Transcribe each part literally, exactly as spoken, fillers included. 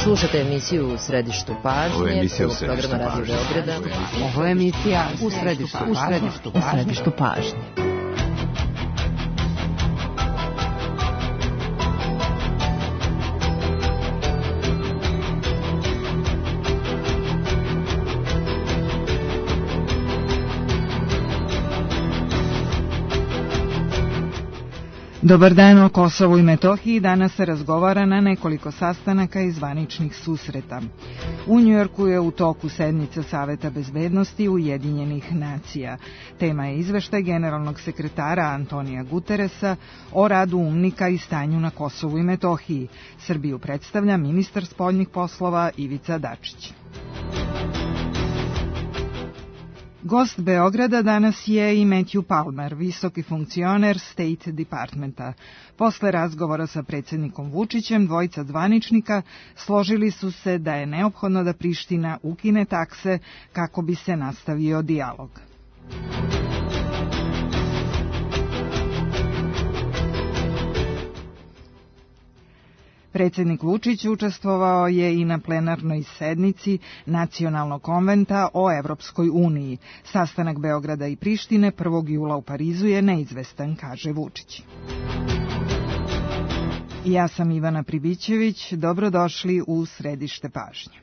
Slušate emisiju U središtu pažnje, prvog programa Radio Beograda. Ovo je emisija U središtu pažnje. Dobar dan, o Kosovu i Metohiji danas se razgovara na nekoliko sastanaka i zvaničnih susreta. U Njujorku je u toku sednica Saveta bezbednosti Ujedinjenih nacija. Tema je izveštaj generalnog sekretara Antonija Guteresa o radu UNMIK-a i stanju na Kosovu i Metohiji. Srbiju predstavlja ministar spoljnih poslova Ivica Dačić. Gost Beograda danas je i Matthew Palmer, visoki funkcioner State Departmenta. Posle razgovora sa predsjednikom Vučićem, dvojica zvaničnika složili su se da je neophodno da Priština ukine takse kako bi se nastavio dijalog. Predsjednik Vučić učestvovao je i na plenarnoj sednici Nacionalnog konventa o Evropskoj uniji. Sastanak Beograda i Prištine prvog jula u Parizu je neizvestan, kaže Vučić. Ja sam Ivana Pribićević, dobrodošli u središte pažnje.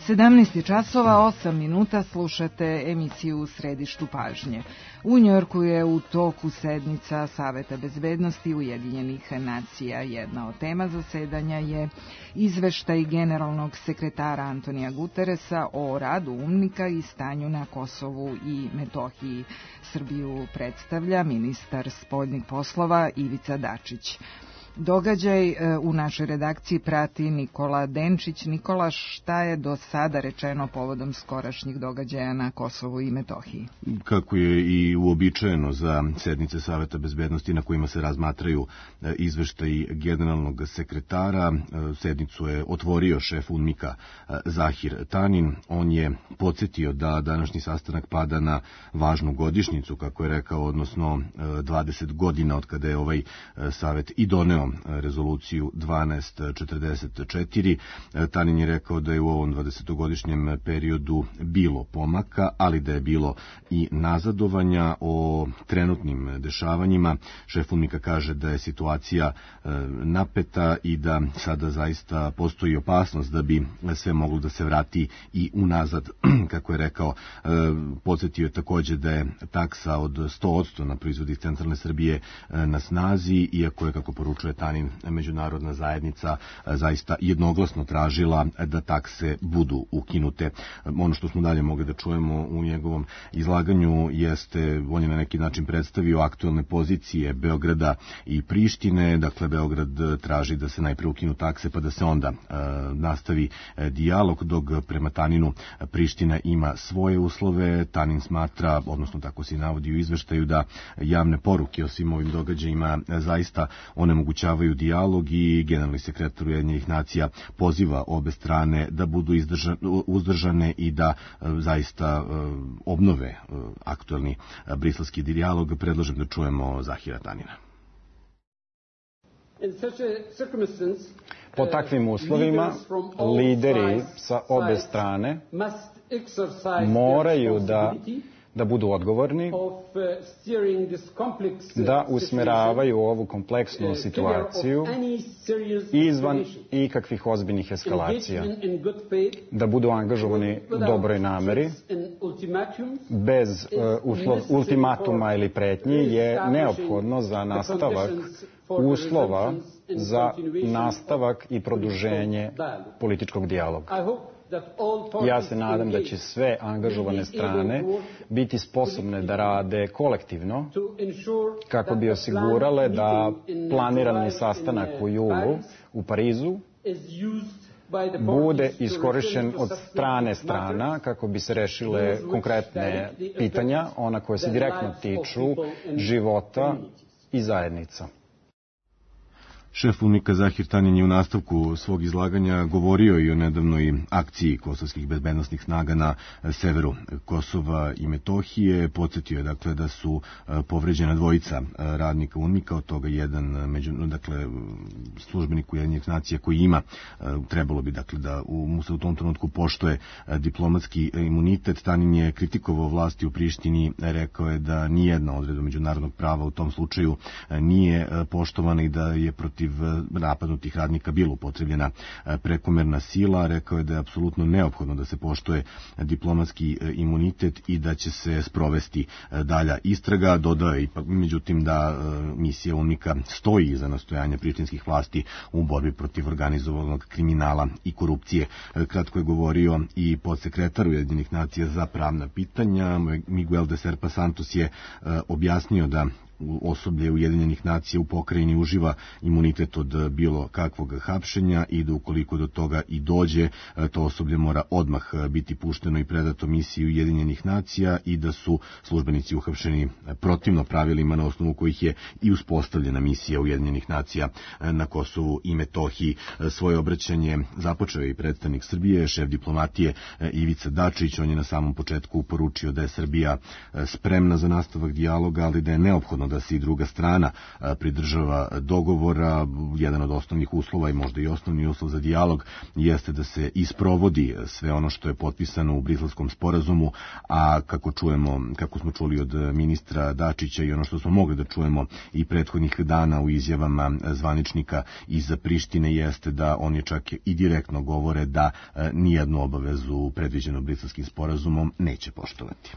sedamnaest časova, osam minuta, slušate emisiju U središtu pažnje. U Njujorku je u toku sednica Saveta bezbednosti Ujedinjenih nacija. Jedna od tema zasedanja je izveštaj generalnog sekretara Antonija Guteresa o radu UNMIK-a i stanju na Kosovu i Metohiji. Srbiju predstavlja ministar spoljnih poslova Ivica Dačić. Događaj u našoj redakciji prati Nikola Denčić. Nikola, šta je do sada rečeno povodom skorašnjih događaja na Kosovu i Metohiji? Kako je i uobičajeno za sednice Saveta bezbednosti na kojima se razmatraju izveštaji generalnog sekretara, sednicu je otvorio šef UNMIK-a Zahir Tanin. On je podsjetio da današnji sastanak pada na važnu godišnjicu, kako je rekao, odnosno dvadeset godina od kada je ovaj savet i doneo rezoluciju dvanaest četrdeset četiri. Tanin je rekao da je u ovom dvadesetogodišnjem periodu bilo pomaka, ali da je bilo i nazadovanja. O trenutnim dešavanjima šef UNMIK-a kaže da je situacija napeta i da sada zaista postoji opasnost da bi sve moglo da se vrati i unazad. Kako je rekao, podsjetio je takođe da je taksa od sto posto na proizvodi iz centralne Srbije na snazi, iako je, kako poručuje Tanin, međunarodna zajednica zaista jednoglasno tražila da takse budu ukinute. Ono što smo dalje mogli da čujemo u njegovom izlaganju jeste, on je na neki način predstavio aktuelne pozicije Beograda i Prištine. Dakle, Beograd traži da se najpre ukinu takse pa da se onda e, nastavi e, dijalog, dok prema Taninu Priština ima svoje uslove. Tanin smatra, odnosno tako se navodi u izveštaju, da javne poruke o svim ovim događajima zaista onemogućavaju dijalog i generalni sekretar Ujedinjenih nacija poziva obe strane da budu izdržan, uzdržane i da zaista obnove aktuelni briselski dijalog. Predlažem da čujemo Zahira Tanina. Po takvim uslovima, lideri sa obe strane moraju da da budu odgovorni, da usmeravaju ovu kompleksnu situaciju izvan ikakvih ozbiljnih eskalacija, da budu angažovani u dobroj nameri bez uslov, ultimatuma ili pretnji je neophodno za nastavak uslova za nastavak i produženje političkog dijaloga. Ja se nadam da će sve angažovane strane biti sposobne da rade kolektivno kako bi osigurale da planirani sastanak u julu u Parizu bude iskorišćen od strane strana kako bi se rešile konkretne pitanja, ona koja se direktno tiču života i zajednica. Šef UNMIK-a Zahir Tanjan je u nastavku svog izlaganja govorio i o nedavnoj akciji kosovskih bezbednosnih snaga na severu Kosova i Metohije. Podsjetio je dakle da su povređena dvojica radnika UNMIK-a, od toga jedan među, dakle, službenik Ujedinjenih nacija koji ima, trebalo bi dakle da mu se u tom trenutku poštuje diplomatski imunitet. Tanjan je kritikovao vlasti u Prištini, rekao je da nijedna odredba međunarodnog prava u tom slučaju nije poštovana i da je protiv napadnutih radnika bilo upotrebljena prekomerna sila. Rekao je da je apsolutno neophodno da se poštuje diplomatski imunitet i da će se sprovesti dalja istraga. Dodao je međutim da misija UNMIK-a stoji iza nastojanja prištinskih vlasti u borbi protiv organizovanog kriminala i korupcije. Kratko je govorio i podsekretar Ujedinjenih nacija za pravna pitanja. Miguel de Serpa Santos je objasnio da osoblje Ujedinjenih nacija u pokrajini uživa imunitet od bilo kakvog hapšenja i da ukoliko do toga i dođe, to osoblje mora odmah biti pušteno i predato misiji Ujedinjenih nacija i da su službenici uhapšeni protivno pravilima na osnovu kojih je i uspostavljena misija Ujedinjenih nacija na Kosovu i Metohiji. Svoje obraćanje započeo je i predstavnik Srbije, šef diplomatije Ivica Dačić. On je na samom početku poručio da je Srbija spremna za nastavak dijaloga, ali da je neophodno da se i druga strana pridržava dogovora. Jedan od osnovnih uslova i možda i osnovni uslov za dijalog jeste da se isprovodi sve ono što je potpisano u Briselskom sporazumu, a kako čujemo, kako smo čuli od ministra Dačića i ono što smo mogli da čujemo i prethodnih dana u izjavama zvaničnika iz Prištine jeste da oni čak i direktno govore da nijednu obavezu predviđenu Briselskim sporazumom neće poštovati.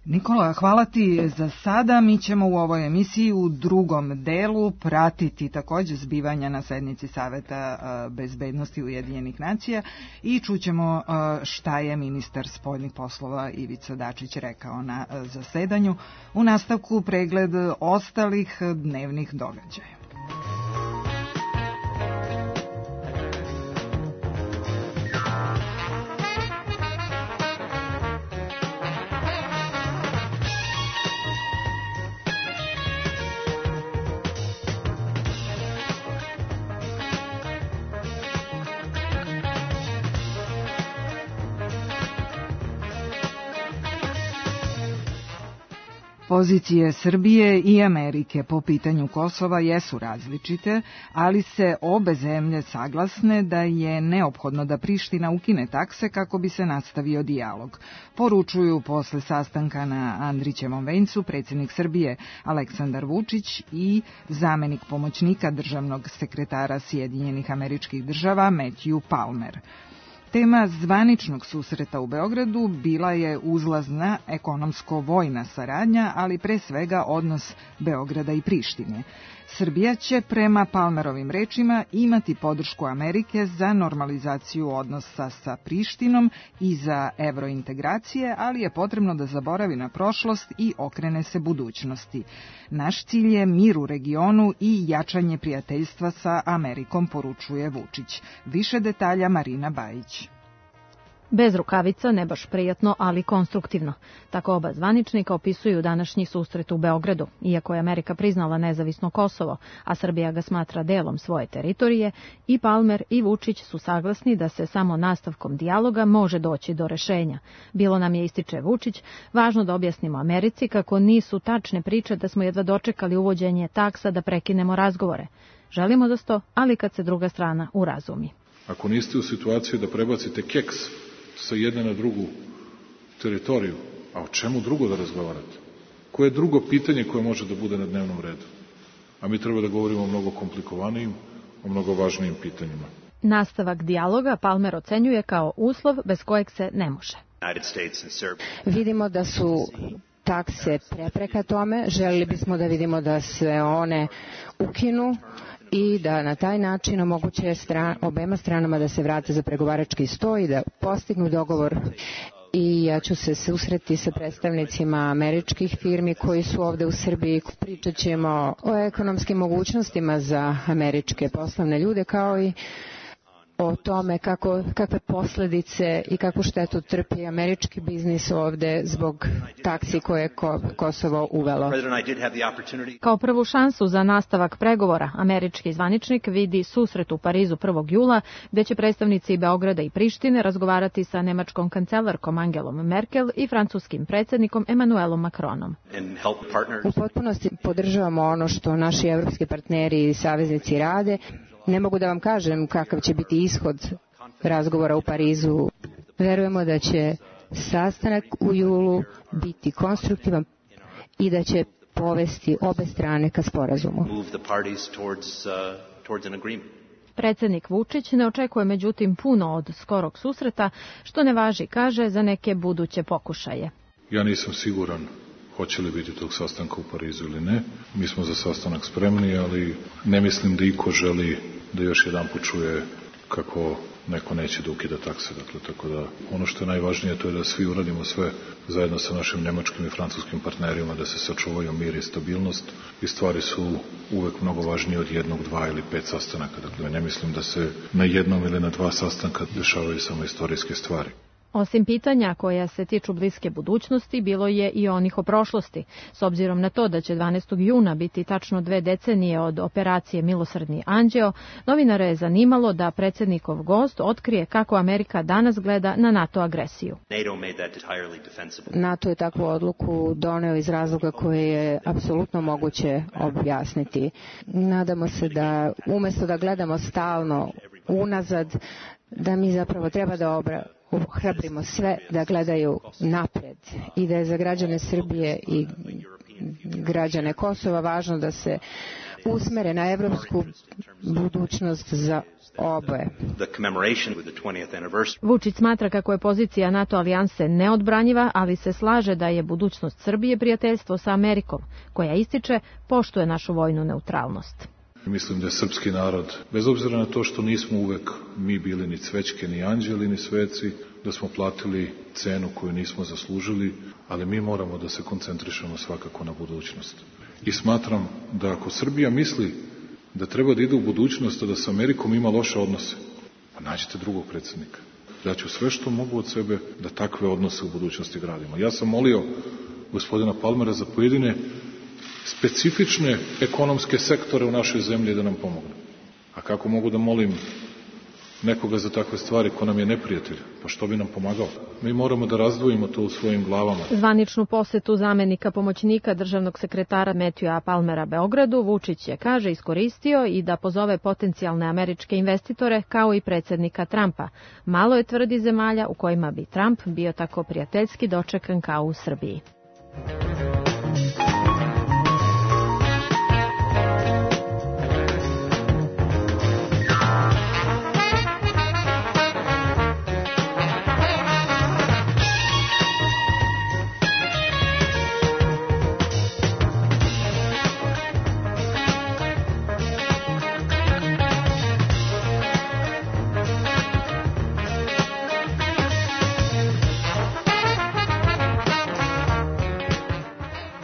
Nikola, hvala ti za sada. Mi ćemo u ovoj emisiji u drugom delu pratiti takođe zbivanja na sednici Saveta bezbednosti Ujedinjenih nacija i čućemo šta je ministar spoljnih poslova Ivica Dačić rekao na zasedanju. U nastavku pregled ostalih dnevnih događaja. Pozicije Srbije i Amerike po pitanju Kosova jesu različite, ali se obe zemlje saglasne da je neophodno da Priština ukine takse kako bi se nastavio dijalog. Poručuju posle sastanka na Andrićevom vencu predsjednik Srbije Aleksandar Vučić i zamenik pomoćnika državnog sekretara Sjedinjenih Američkih Država Matthew Palmer. Tema zvaničnog susreta u Beogradu bila je uzlazna ekonomsko-vojna saradnja, ali pre svega odnos Beograda i Prištine. Srbija će prema Palmerovim rečima imati podršku Amerike za normalizaciju odnosa sa Prištinom i za evrointegracije, ali je potrebno da zaboravi na prošlost i okrene se budućnosti. Naš cilj je mir u regionu i jačanje prijateljstva sa Amerikom, poručuje Vučić. Više detalja Marina Bajić. Bez rukavica, ne baš prijatno, ali konstruktivno. Tako oba zvaničnika opisuju današnji susret u Beogradu. Iako je Amerika priznala nezavisno Kosovo, a Srbija ga smatra delom svoje teritorije, i Palmer i Vučić su saglasni da se samo nastavkom dijaloga može doći do rešenja. Bilo nam je, ističe Vučić, važno da objasnimo Americi kako nisu tačne priče da smo jedva dočekali uvođenje taksa da prekinemo razgovore. Želimo da sto, ali kad se druga strana urazumi. Ako niste u situaciji da prebacite keks sa jedne na drugu teritoriju, a o čemu drugo da razgovarate? Koje je drugo pitanje koje može da bude na dnevnom redu? A mi treba da govorimo o mnogo komplikovanijim, o mnogo važnijim pitanjima. Nastavak dijaloga Palmer ocenjuje kao uslov bez kojeg se ne može. Vidimo da su takse prepreka tome, želeli bismo da vidimo da se one ukinu i da na taj način omoguće stran, obema stranama da se vrate za pregovarački sto i da postignu dogovor. I ja ću se susreti sa predstavnicima američkih firmi koji su ovde u Srbiji. Pričat ćemo o ekonomskim mogućnostima za američke poslovne ljude, kao i o tome kako, kakve posledice i kakvu štetu trpi američki biznis ovde zbog taksi koje je Kosovo uvelo. Kao prvu šansu za nastavak pregovora, američki zvaničnik vidi susret u Parizu prvog jula, gde će predstavnici Beograda i Prištine razgovarati sa nemačkom kancelarkom Angelom Merkel i francuskim predsjednikom Emmanuelom Macronom. U potpunosti podržavamo ono što naši evropski partneri i saveznici rade. Ne mogu da vam kažem kakav će biti ishod razgovora u Parizu. Verujemo da će sastanak u julu biti konstruktivan i da će povesti obe strane ka sporazumu. Predsjednik Vučić ne očekuje međutim puno od skorog susreta, što ne važi, kaže, za neke buduće pokušaje. Ja nisam siguran hoće li biti tog sastanka u Parizu ili ne. Mi smo za sastanak spremni, ali ne mislim da iko želi da još jedan počuje kako neko neće da ukida takse. Dakle, tako da ono što je najvažnije to je da svi uradimo sve zajedno sa našim nemačkim i francuskim partnerima da se sačuvaju mir i stabilnost i stvari su uvek mnogo važnije od jednog, dva ili pet sastanaka. Dakle, ne mislim da se na jednom ili na dva sastanka dešavaju samo istorijske stvari. Osim pitanja koja se tiču bliske budućnosti, bilo je i onih o prošlosti. S obzirom na to da će dvanaestog juna biti tačno dve decenije od operacije Milosrdni anđeo, novinare je zanimalo da predsjednikov gost otkrije kako Amerika danas gleda na NATO agresiju. NATO je takvu odluku doneo iz razloga koje je apsolutno moguće objasniti. Nadamo se da umjesto da gledamo stalno unazad, da mi zapravo treba da obra ohrabrimo sve da gledaju napred i da je za građane Srbije i građane Kosova važno da se usmere na evropsku budućnost za oboje. Vučić smatra kako je pozicija NATO alijanse neodbranjiva, ali se slaže da je budućnost Srbije prijateljstvo sa Amerikom, koja ističe poštuje našu vojnu neutralnost. Mislim da je srpski narod, bez obzira na to što nismo uvek mi bili ni cvećke, ni anđeli, ni sveci, da smo platili cenu koju nismo zaslužili, ali mi moramo da se koncentrišemo svakako na budućnost. I smatram da ako Srbija misli da treba da ide u budućnost, a da sa Amerikom ima loše odnose, pa nađite drugog predsjednika. Ja ću sve što mogu od sebe da takve odnose u budućnosti gradimo. Ja sam molio gospodina Palmera za pojedine specifične ekonomske sektore u našoj zemlji da nam pomogne. A kako mogu da molim nekoga za takve stvari ko nam je neprijatelj? Pa što bi nam pomagao? Mi moramo da razdvojimo to u svojim glavama. Zvaničnu posetu zamenika pomoćnika državnog sekretara Matthewa Palmera Beogradu Vučić je, kaže, iskoristio i da pozove potencijalne američke investitore kao i predsjednika Trumpa. Malo je, tvrdi, zemalja u kojima bi Trump bio tako prijateljski dočekan kao u Srbiji.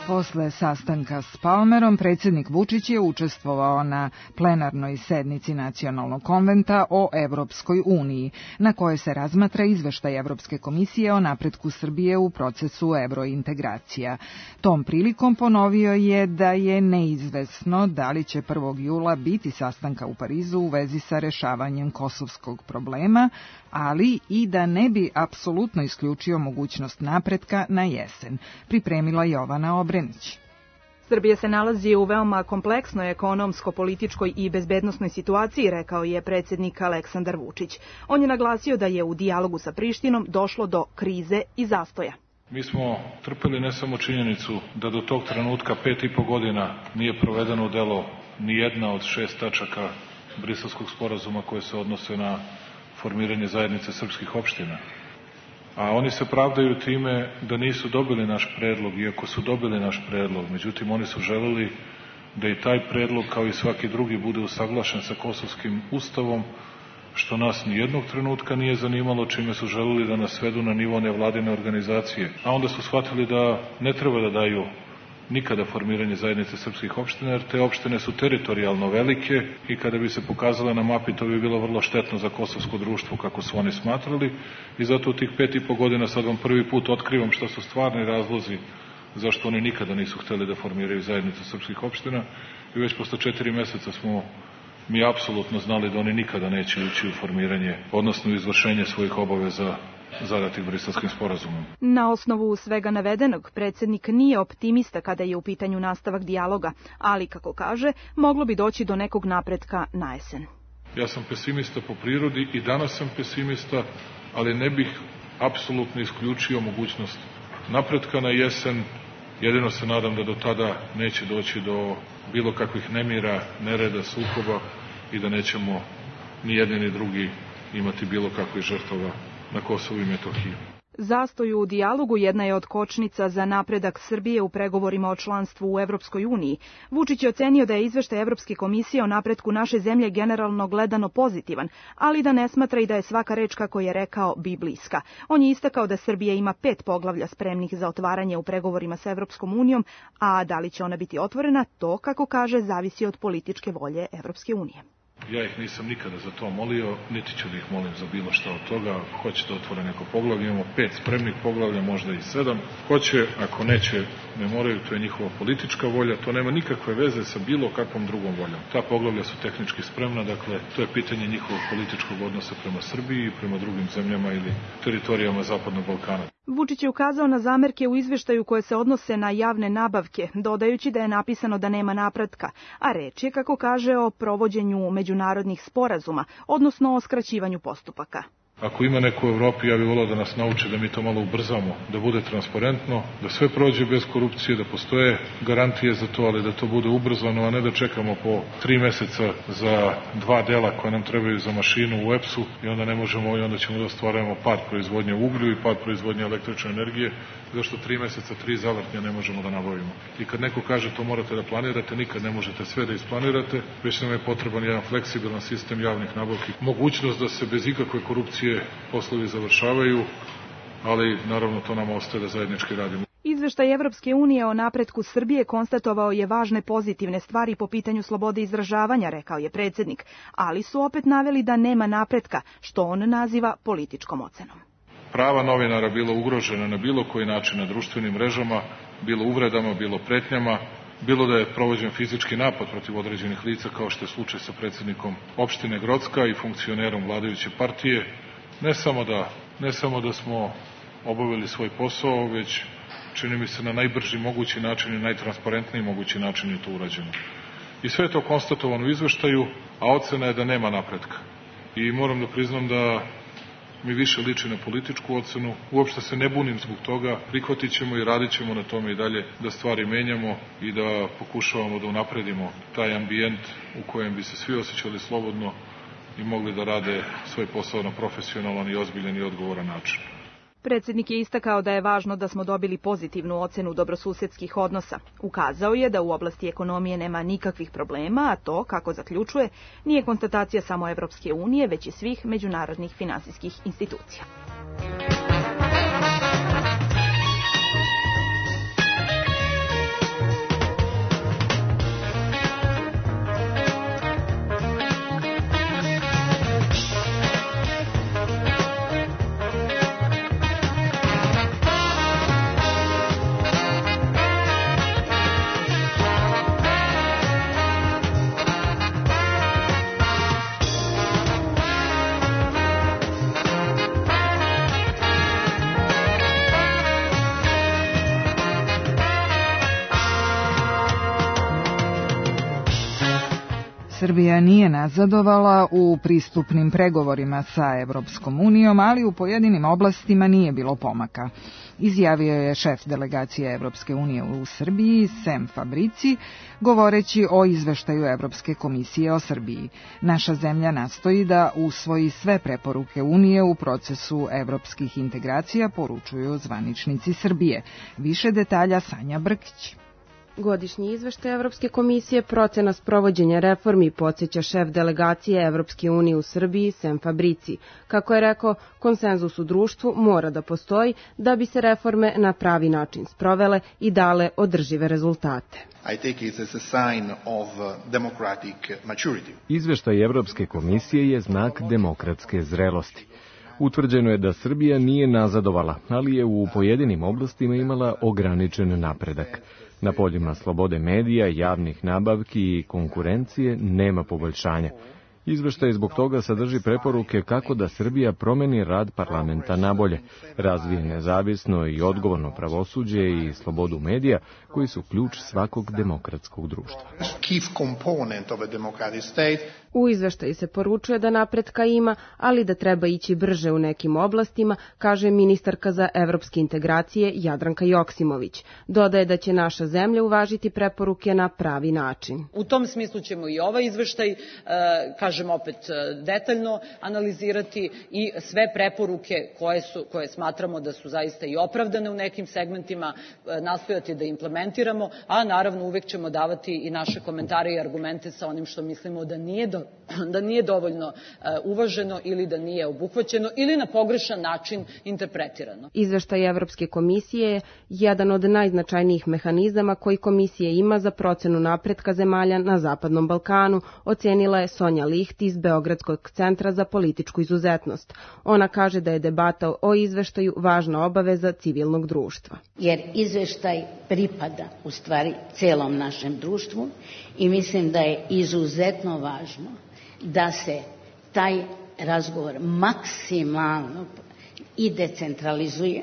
Posle sastanka s Palmerom, predsjednik Vučić je učestvovao na plenarnoj sednici Nacionalnog konventa o Evropskoj uniji, na kojoj se razmatra izveštaj Evropske komisije o napretku Srbije u procesu evrointegracija. Tom prilikom ponovio je da je neizvesno da li će prvog jula biti sastanka u Parizu u vezi sa rešavanjem kosovskog problema, ali i da ne bi apsolutno isključio mogućnost napretka na jesen, pripremila Jovana Obrenić. Srbija se nalazi u veoma kompleksnoj ekonomsko-političkoj i bezbednosnoj situaciji, rekao je predsjednik Aleksandar Vučić. On je naglasio da je u dijalogu sa Prištinom došlo do krize i zastoja. Mi smo trpeli ne samo činjenicu da do tog trenutka pet i po godina nije provedeno u delo ni jedna od šest tačaka Briselskog sporazuma koje se odnose na formiranje zajednice srpskih opština. A oni se pravdaju time da nisu dobili naš predlog, iako su dobili naš predlog. Međutim, oni su želeli da i taj predlog, kao i svaki drugi, bude usaglašen sa kosovskim ustavom, što nas ni jednog trenutka nije zanimalo, čime su želeli da nas svedu na nivo nevladine organizacije. A onda su shvatili da ne treba da daju nikada formiranje zajednice srpskih opština, jer te opštine su teritorijalno velike i kada bi se pokazale na mapi, to bi bilo vrlo štetno za kosovsko društvo, kako su oni smatrali. I zato u tih pet i po godina sad vam prvi put otkrivam šta su stvarni razlozi zašto oni nikada nisu hteli da formiraju zajednicu srpskih opština. I već posle četiri meseca smo mi apsolutno znali da oni nikada neće ući u formiranje, odnosno u izvršenje svojih obaveza zadatih Briselskim sporazumom. Na osnovu svega navedenog, predsjednik nije optimista kada je u pitanju nastavak dijaloga, ali, kako kaže, moglo bi doći do nekog napretka na jesen. Ja sam pesimista po prirodi i danas sam pesimista, ali ne bih apsolutno isključio mogućnost napretka na jesen. Jedino se nadam da do tada neće doći do bilo kakvih nemira, nereda, sukoba i da nećemo ni jedni ni drugi imati bilo kakvih žrtava na Kosovu i Metohiji. Zastoj u dijalogu jedna je od kočnica za napredak Srbije u pregovorima o članstvu u Evropskoj uniji. Vučić je ocenio da je izveštaj Evropske komisije o napretku naše zemlje generalno gledano pozitivan, ali da ne smatra i da je svaka reč, kako je rekao, bibliska. On je istakao da Srbija ima pet poglavlja spremnih za otvaranje u pregovorima sa Evropskom unijom, a da li će ona biti otvorena, to, kako kaže, zavisi od političke volje Evropske unije. Ja ih nisam nikada za to molio, niti ću da ih molim za bilo šta od toga. Hoće da otvore neko poglavlje, imamo pet spremnih poglavlja, možda i sedam. Hoće, ako neće, ne moraju, to je njihova politička volja, to nema nikakve veze sa bilo kakvom drugom voljom. Ta poglavlja su tehnički spremna, dakle, to je pitanje njihovog političkog odnosa prema Srbiji i prema drugim zemljama ili teritorijama Zapadnog Balkana. Vučić je ukazao na zamerke u izveštaju koje se odnose na javne nabavke, dodajući da je napisano da nema napretka, a reč je, kako kaže, o provođenju međunarodnih sporazuma, odnosno o skraćivanju postupaka. Ako ima neko u Evropi, ja bih volao da nas nauči da mi to malo ubrzamo, da bude transparentno, da sve prođe bez korupcije, da postoje garantije za to, ali da to bude ubrzano, a ne da čekamo po tri meseca za dva dela koje nam trebaju za mašinu u E P S-u i onda ne možemo i onda ćemo da ostvarujemo pad proizvodnje uglju i pad proizvodnje električne energije, zašto tri meseca, tri zavrtnja ne možemo da nabavimo. I kad neko kaže to morate da planirate, nikad ne možete sve da isplanirate, već nam je potreban jedan fleksibilan sistem javnih nabavki. Mogućnost da se bez ikakve korupcije poslovi završavaju, ali naravno to nam ostaje da zajednički radimo. Izveštaj Evropske unije o napretku Srbije konstatovao je važne pozitivne stvari po pitanju slobode izražavanja, rekao je predsjednik, ali su opet naveli da nema napretka, što on naziva političkom ocenom. Prava novinara bila ugrožena na bilo koji način na društvenim mrežama, bilo uvredama, bilo pretnjama, bilo da je provođen fizički napad protiv određenih lica, kao što je slučaj sa predsjednikom opštine Grocka i funkcionerom vladajuće partije. Ne samo da, ne samo da smo obavili svoj posao, već čini mi se na najbrži mogući način i najtransparentniji mogući način je to urađeno. I sve je to konstatovano u izveštaju, a ocena je da nema napretka. I moram da priznam da mi više liči na političku ocenu. Uopšte se ne bunim zbog toga, prihvatit ćemo i radit ćemo na tome i dalje da stvari menjamo i da pokušavamo da unapredimo taj ambijent u kojem bi se svi osjećali slobodno i mogli da rade svoj posao na profesionalan i ozbiljan i odgovoran način. Predsjednik je istakao da je važno da smo dobili pozitivnu ocenu dobrosusedskih odnosa. Ukazao je da u oblasti ekonomije nema nikakvih problema, a to, kako zaključuje, nije konstatacija samo Evropske unije, već i svih međunarodnih finansijskih institucija. Srbija nije nazadovala u pristupnim pregovorima sa Evropskom unijom, ali u pojedinim oblastima nije bilo pomaka. Izjavio je šef delegacije Evropske unije u Srbiji, Sem Fabrici, govoreći o izveštaju Evropske komisije o Srbiji. Naša zemlja nastoji da usvoji sve preporuke Unije u procesu evropskih integracija, poručuju zvaničnici Srbije. Više detalja Sanja Brkić. Godišnji izveštaj Evropske komisije procena sprovođenja reformi podsjeća šef delegacije Evropske unije u Srbiji Sem Fabrici. Kako je rekao, konsenzus u društvu mora da postoji da bi se reforme na pravi način sprovele i dale održive rezultate. I take it as a sign of democratic maturity. Izveštaj Evropske komisije je znak demokratske zrelosti. Utvrđeno je da Srbija nije nazadovala, ali je u pojedinim oblastima imala ograničen napredak. Na poljima slobode medija, javnih nabavki i konkurencije nema poboljšanja. Izveštaj zbog toga sadrži preporuke kako da Srbija promeni rad parlamenta nabolje, razvije nezavisno i odgovorno pravosuđe i slobodu medija, koji su ključ svakog demokratskog društva. U izveštaju se poručuje da napretka ima, ali da treba ići brže u nekim oblastima, kaže ministarka za evropske integracije Jadranka Joksimović. Dodaje da će naša zemlja uvažiti preporuke na pravi način. U tom smislu ćemo i ovaj izveštaj, kažem opet, detaljno analizirati i sve preporuke koje, su, koje smatramo da su zaista i opravdane u nekim segmentima, nastojati da implementiramo, a naravno uvek ćemo davati i naše komentare i argumente sa onim što mislimo da nije do, da nije dovoljno uvaženo ili da nije obuhvaćeno ili na pogrešan način interpretirano. Izveštaj Evropske komisije je jedan od najznačajnijih mehanizama koji komisija ima za procenu napretka zemalja na Zapadnom Balkanu, ocenila je Sonja Licht iz Beogradskog centra za političku izuzetnost. Ona kaže da je debata o izveštaju važna obaveza civilnog društva. Jer izveštaj pripada u stvari celom našem društvu i mislim da je izuzetno važno da se taj razgovor maksimalno i decentralizuje,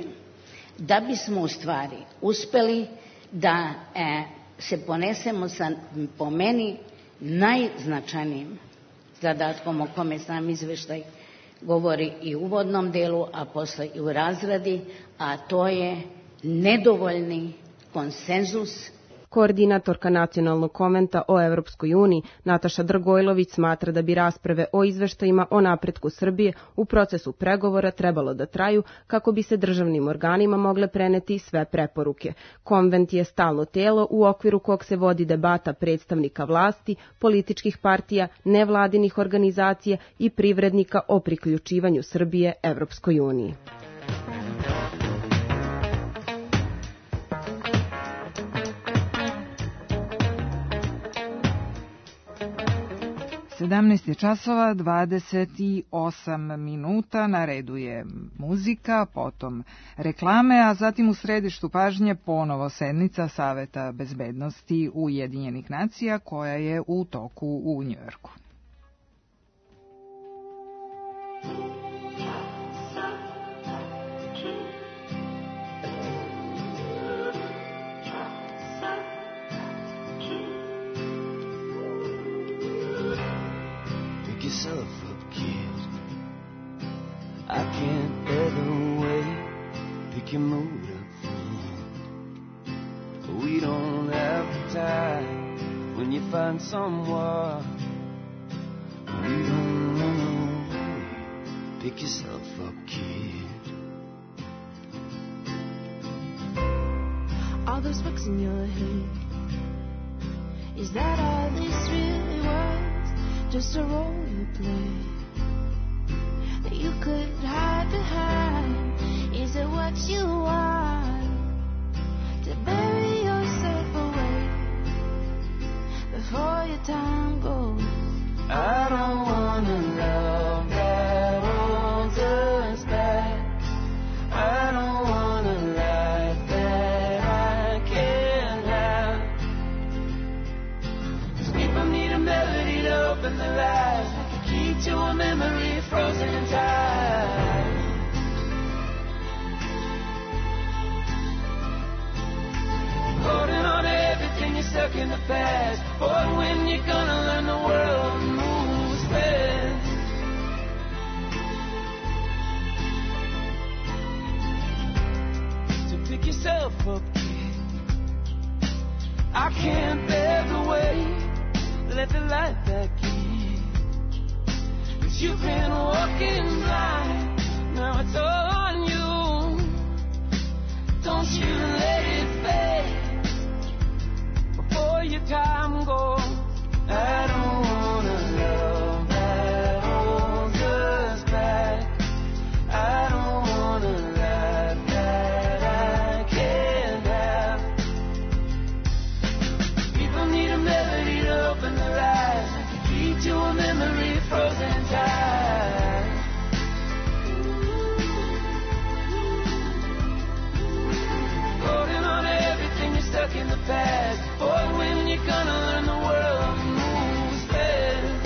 da bismo u stvari uspeli da e, se ponesemo sa, po meni, najznačajnijim zadatkom o kome sam izveštaj govori i u uvodnom delu, a posle i u razradi, a to je nedovoljni konsenzus. Koordinatorka nacionalnog konventa o Evropskoj uniji Nataša Dragojlović smatra da bi rasprave o izveštajima o napretku Srbije u procesu pregovora trebalo da traju kako bi se državnim organima mogle preneti sve preporuke. Konvent je stalno telo u okviru kog se vodi debata predstavnika vlasti, političkih partija, nevladinih organizacija i privrednika o priključivanju Srbije Evropskoj uniji. sedamnaest je časova, dvadeset osam minuta, na redu je muzika, potom reklame, a zatim u središtu pažnje ponovo sednica Saveta bezbednosti Ujedinjenih nacija koja je u toku u Njujorku. Yourself up, kid. I can't ever wait. Pick your mood up, friend. We don't have time when you find someone. We don't run away. Pick yourself up, kid. All those books in your head. Is that all this really was? Just a role you play that you could hide behind. Is it what you want to bury yourself away before your time goes? I don't wanna love that holds us back. I don't want a life that I can't have. 'Cause people need a melody to open the light, like a key to a memory frozen in time. Holding on to everything you're stuck in the past. Boy, when you're gonna learn the world yourself up, kid. I can't bear the weight. Let the light back in. 'Cause you've been walking blind. Now it's all on you. Don't you let it fade before your time goes. I don't wanna love that holds us back. I don't wanna life that I can't have. People need a melody to open their eyes, lead to a memory frozen tight. Holding on to everything, you're stuck in the past. Boy, when you're gonna learn the world moves fast.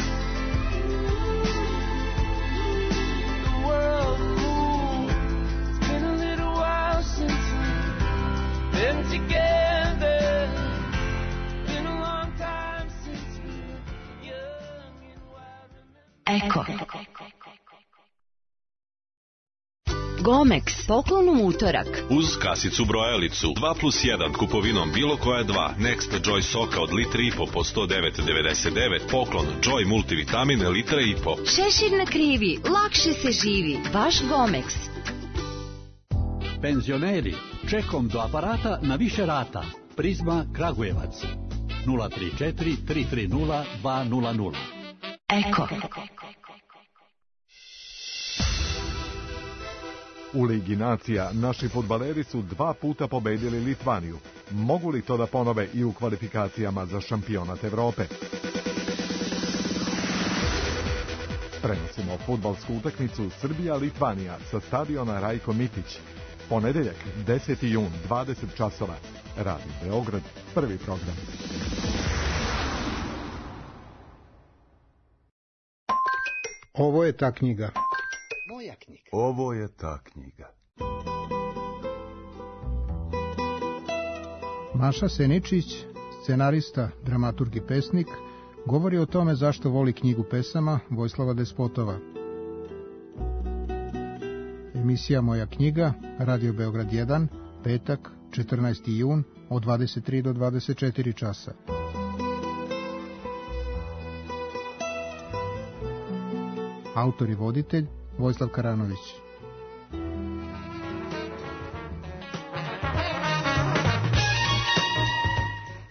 The world moves. It's been a little while since we've been together. Been a long time since we were young and wild. Eko. Gomex, poklon u utorak. Uz kasicu brojalicu dva plus jedan kupovinom bilo koja dva Next Joy soka od litri i po po sto devet devedeset devet, poklon Joy multivitamin litra i po. Šešir na krivi, lakše se živi. Vaš Gomex. Penzioneri, čekom do aparata na više rata. Prizma Kragujevac. nula tri četiri tri tri nula dva nula nula. Eko. U Ligi nacija naši fudbaleri su dva puta pobedili Litvaniju. Mogu li to da ponove i u kvalifikacijama za šampionat Evrope? Prenosimo fudbalsku utakmicu Srbija-Litvanija sa stadiona Rajko Mitić. Ponedeljak, deseti jun, dvadeset časova. Radio Beograd, prvi program. Ovo je ta knjiga. Moja knjiga. Ovo je ta knjiga. Maša Seničić, scenarista, dramaturg i pesnik, govori o tome zašto voli knjigu pesama Vojislava Despotova. Emisija Moja knjiga, Radio Beograd jedan, petak, četrnaesti jun, od dvadeset tri do dvadeset četiri časa. Autor i voditelj Vojislav Karanović.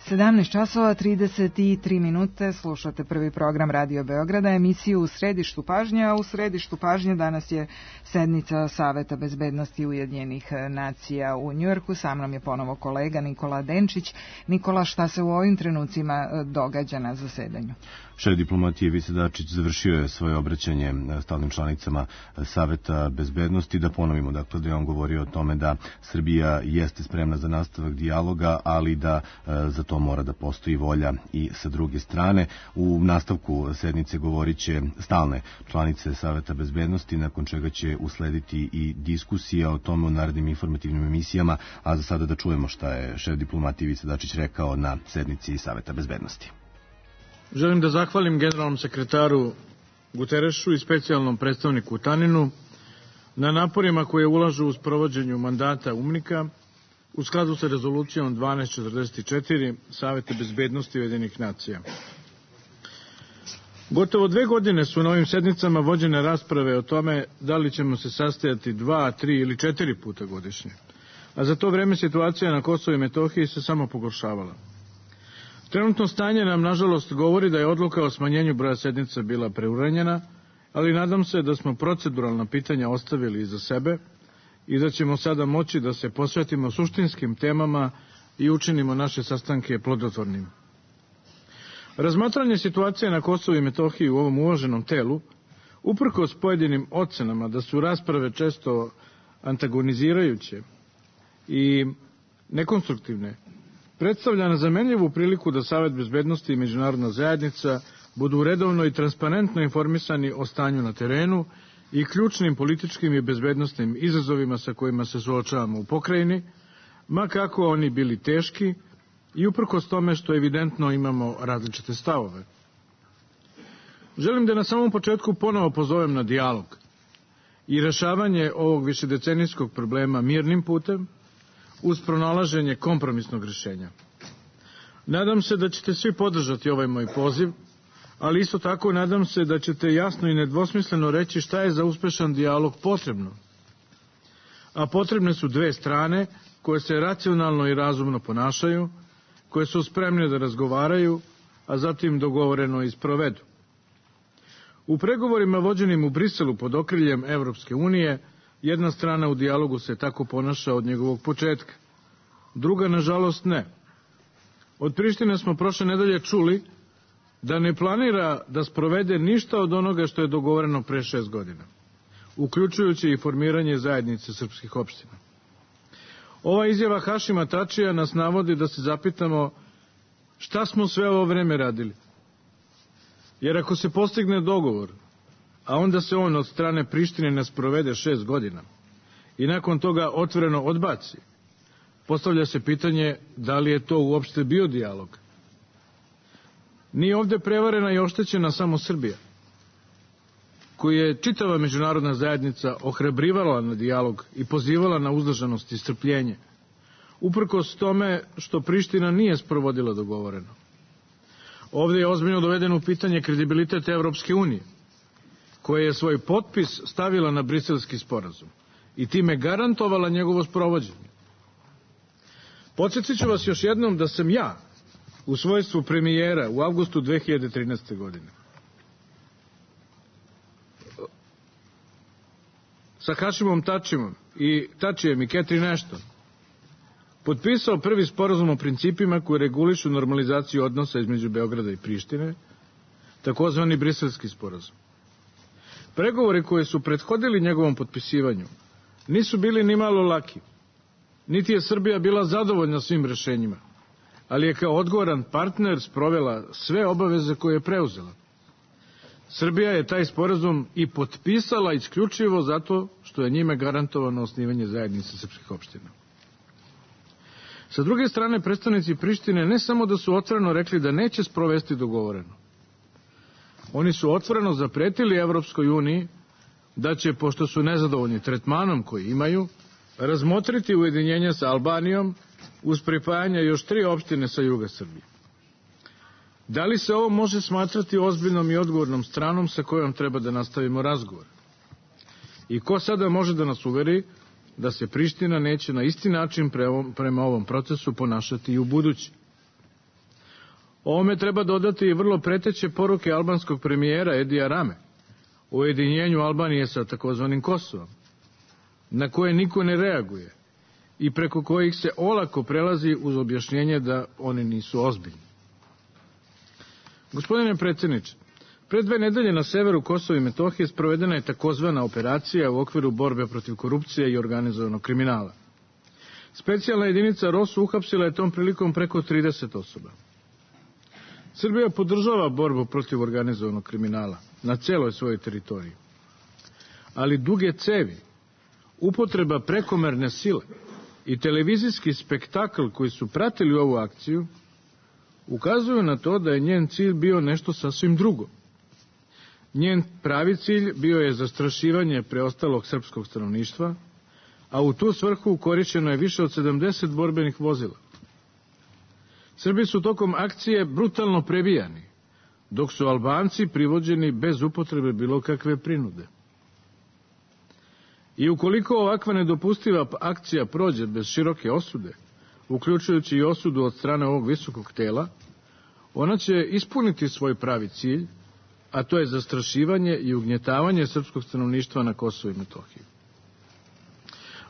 sedamnaest časova trideset tri minute, slušate prvi program Radio Beograda, emisiju U središtu pažnje, a u središtu pažnje danas je sednica Saveta bezbednosti Ujedinjenih nacija u Njujorku. Sa mnom je ponovo kolega Nikola Denčić. Nikola, šta se u ovim trenucima događa na zasedanju? Šef diplomatije Ivica Dačić završio je svoje obraćanje stalnim članicama Saveta bezbednosti. Da ponovimo, dakle, da je on govorio o tome da Srbija jeste spremna za nastavak dijaloga, ali da za to mora da postoji volja i sa druge strane. U nastavku sednice govorit će stalne članice Saveta bezbednosti, nakon čega će uslediti i diskusija o tome u narednim informativnim emisijama, a za sada da čujemo šta je šef diplomatije Ivica Dačić rekao na sednici Saveta bezbednosti. Želim da zahvalim generalnom sekretaru Guterešu i specijalnom predstavniku Taninu na naporima koje ulažu u sprovođenju mandata UNMIK-a u skladu sa rezolucijom dvanaest četrdeset četiri Saveta bezbednosti Ujedinjenih nacija. Gotovo dve godine su na ovim sednicama vođene rasprave o tome da li ćemo se sastajati dva, tri ili četiri puta godišnje, a za to vreme situacija na Kosovu i Metohiji se samo pogoršavala. Trenutno stanje nam, nažalost, govori da je odluka o smanjenju broja sednica bila preuranjena, ali nadam se da smo proceduralna pitanja ostavili iza sebe i da ćemo sada moći da se posvetimo suštinskim temama i učinimo naše sastanke plodotvornim. Razmatranje situacije na Kosovu i Metohiji u ovom uvaženom telu, uprkos pojedinim ocenama da su rasprave često antagonizirajuće i nekonstruktivne, predstavlja nezamenljivu priliku da Savet bezbednosti i međunarodna zajednica budu redovno i transparentno informisani o stanju na terenu i ključnim političkim i bezbednostnim izazovima sa kojima se suočavamo u pokrajini, ma kako oni bili teški i uprkos tome što evidentno imamo različite stavove. Želim da na samom početku ponovo pozovem na dijalog i rešavanje ovog višedecenijskog problema mirnim putem, uz pronalaženje kompromisnog rešenja. Nadam se da ćete svi podržati ovaj moj poziv, ali isto tako nadam se da ćete jasno i nedvosmisleno reći šta je za uspešan dijalog potrebno. A potrebne su dve strane koje se racionalno i razumno ponašaju, koje su spremne da razgovaraju, a zatim dogovoreno i sprovedu. U pregovorima vođenim u Briselu pod okriljem Evropske unije, jedna strana u dijalogu se tako ponaša od njegovog početka. Druga, nažalost, ne. Od Prištine smo prošle nedelje čuli da ne planira da sprovede ništa od onoga što je dogovoreno pre šest godina, uključujući i formiranje zajednice srpskih opština. Ova izjava Hašima Tačija nas navodi da se zapitamo šta smo sve ovo vreme radili. Jer ako se postigne dogovor, a onda se on od strane Prištine ne sprovede šest godina i nakon toga otvoreno odbaci, postavlja se pitanje da li je to uopšte bio dijalog. Nije ovde prevarena i oštećena samo Srbija, koju je čitava međunarodna zajednica ohrabrivala na dijalog i pozivala na uzdržanost i strpljenje, uprkos tome što Priština nije sprovodila dogovoreno. Ovde je ozbiljno doveden u pitanje kredibilitet Evropske unije, koja je svoj potpis stavila na briselski sporazum i time garantovala njegovo sprovođenje. Podsjetit ću vas još jednom da sam ja, u svojstvu premijera u avgustu dve hiljade trinaeste. godine, sa Hašimom Tačimom i Tačijem i Catherine Ashton potpisao prvi sporazum o principima koji regulišu normalizaciju odnosa između Beograda i Prištine, takozvani briselski sporazum. Pregovori koji su prethodili njegovom potpisivanju nisu bili ni malo laki, niti je Srbija bila zadovoljna svim rešenjima, ali je kao odgovoran partner sprovela sve obaveze koje je preuzela. Srbija je taj sporazum i potpisala isključivo zato što je njime garantovano osnivanje zajednice srpskih opština. Sa druge strane, predstavnici Prištine ne samo da su otvoreno rekli da neće sprovesti dogovoreno. Oni su otvoreno zapretili Evropskoj uniji da će, pošto su nezadovoljni tretmanom koji imaju, razmotriti ujedinjenje sa Albanijom uz pripajanje još tri opštine sa juga Srbije. Da li se ovo može smatrati ozbiljnom i odgovornom stranom sa kojom treba da nastavimo razgovor? I ko sada može da nas uveri da se Priština neće na isti način prema ovom procesu ponašati i u budući? Ovome treba dodati i vrlo preteće poruke albanskog premijera Edija Rame o ujedinjenju Albanije sa takozvanim Kosovom, na koje niko ne reaguje i preko kojih se olako prelazi uz objašnjenje da oni nisu ozbiljni. Gospodine predsjedniče, pre dve nedelje na severu Kosova i Metohije sprovedena je takozvana operacija u okviru borbe protiv korupcije i organizovanog kriminala. Specijalna jedinica R O S uhapsila je tom prilikom preko trideset osoba. Srbija podržava borbu protiv organizovanog kriminala na celoj svojoj teritoriji. Ali duge cevi, upotreba prekomerne sile i televizijski spektakl koji su pratili ovu akciju ukazuju na to da je njen cilj bio nešto sasvim drugo. Njen pravi cilj bio je zastrašivanje preostalog srpskog stanovništva, a u tu svrhu korišćeno je više od sedamdeset borbenih vozila. Srbi su tokom akcije brutalno prebijani, dok su Albanci privođeni bez upotrebe bilo kakve prinude. I ukoliko ovakva nedopustiva akcija prođe bez široke osude, uključujući i osudu od strane ovog visokog tela, ona će ispuniti svoj pravi cilj, a to je zastrašivanje i ugnjetavanje srpskog stanovništva na Kosovu i Metohiji.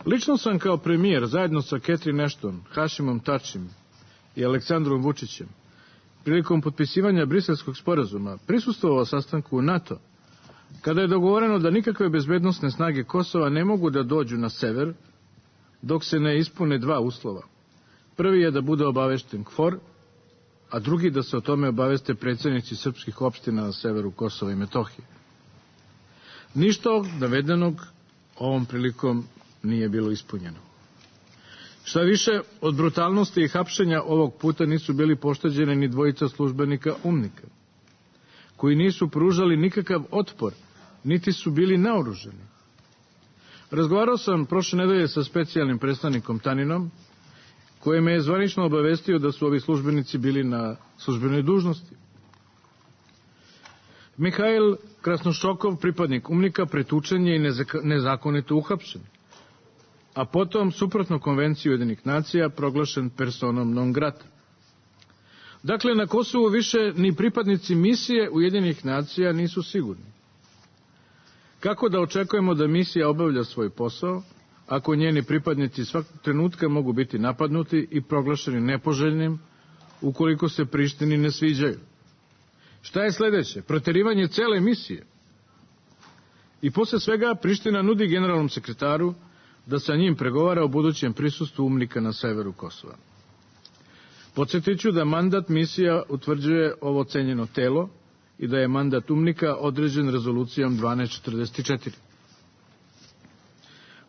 Lično sam kao premijer, zajedno sa Catherine Ashton, Hašimom Tačim i Aleksandrom Vučićem, prilikom potpisivanja briselskog sporazuma, prisustvovao sastanku u NATO, kada je dogovoreno da nikakve bezbednosne snage Kosova ne mogu da dođu na sever, dok se ne ispune dva uslova. Prvi je da bude obavešten KFOR, a drugi da se o tome obaveste predsjednici srpskih opština na severu Kosova i Metohije. Ništa od navedenog ovom prilikom nije bilo ispunjeno. Šta više, od brutalnosti i hapšenja ovog puta nisu bili pošteđeni ni dvojica službenika UMNIK-a, koji nisu pružali nikakav otpor, niti su bili naoružani. Razgovarao sam prošle nedelje sa specijalnim predstavnikom Taninom koje me je zvanično obavestio da su ovi službenici bili na službenoj dužnosti. Mihajl Krasnošokov, pripadnik UMNIK-a, pretučen je i nezakonito uhapšen, a potom, suprotno konvenciji Ujedinjenih nacija, proglašen personom non grata. Dakle, na Kosovu više ni pripadnici misije Ujedinjenih nacija nisu sigurni. Kako da očekujemo da misija obavlja svoj posao, ako njeni pripadnici svakog trenutka mogu biti napadnuti i proglašeni nepoželjnim, ukoliko se Prištini ne sviđaju? Šta je sledeće? Proterivanje cele misije. I posle svega Priština nudi generalnom sekretaru da sa njim pregovara o budućem prisustvu UMNIK-a na severu Kosova. Podsjetiću da mandat misija utvrđuje ovo cenjeno telo i da je mandat UMNIK-a određen rezolucijom dvanaest četrdeset četiri.